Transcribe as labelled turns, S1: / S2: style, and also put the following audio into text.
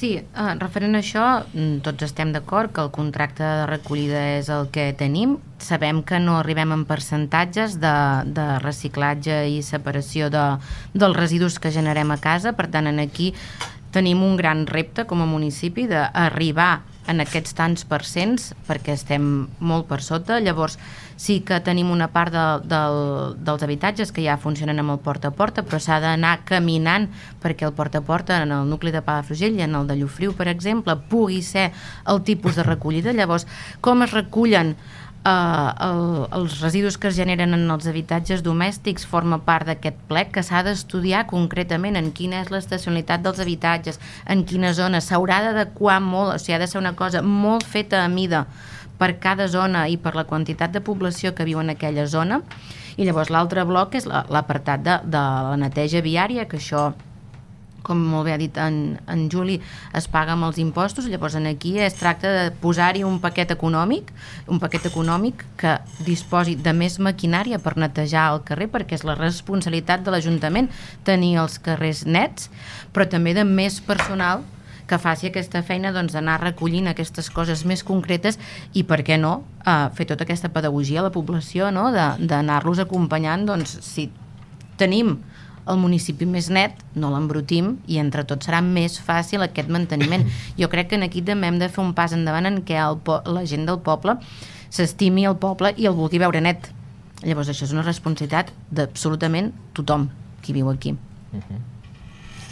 S1: Sí, referent a això, tots estem d'acord que el contracte de recollida és el que tenim. Sabem que no arribem en percentatges de reciclatge i separació dels residus que generem a casa, per tant, aquí tenim un gran repte com a municipi d'arribar en aquests tants percents, perquè estem molt per sota. Llavors sí que tenim una part dels habitatges que ja funcionen amb el porta a porta, però s'ha d'anar caminant perquè el porta a porta en el nucli de Palafrugell i en el de Llofriu, per exemple, pugui ser el tipus de recollida. Llavors, com es recullen els residus que es generen en els habitatges domèstics forma part d'aquest plec que s'ha d'estudiar concretament en quina és l'estacionalitat dels habitatges, en quina zona s'haurà d'adequar molt, o sigui, ha de ser una cosa molt feta a mida per cada zona i per la quantitat de població que viu en aquella zona. I llavors l'altre bloc és l'apartat de la neteja viària, que això, com molt bé ha dit en Juli, es paga amb els impostos. Llavors aquí es tracta de posar-hi un paquet econòmic que disposi de més maquinària per netejar el carrer, perquè és la responsabilitat de l'Ajuntament tenir els carrers nets, però també de més personal que faci aquesta feina d'anar recollint aquestes coses més concretes i, per què no, fer tota aquesta pedagogia a la població, d'anar-los acompanyant. Si tenim el municipi més net, no l'embrutim i entre tots serà més fàcil aquest manteniment. Jo crec que aquí també hem de fer un pas endavant en què la gent del poble s'estimi el poble i el vulgui veure net. Llavors això és una responsabilitat d'absolutament tothom qui viu aquí.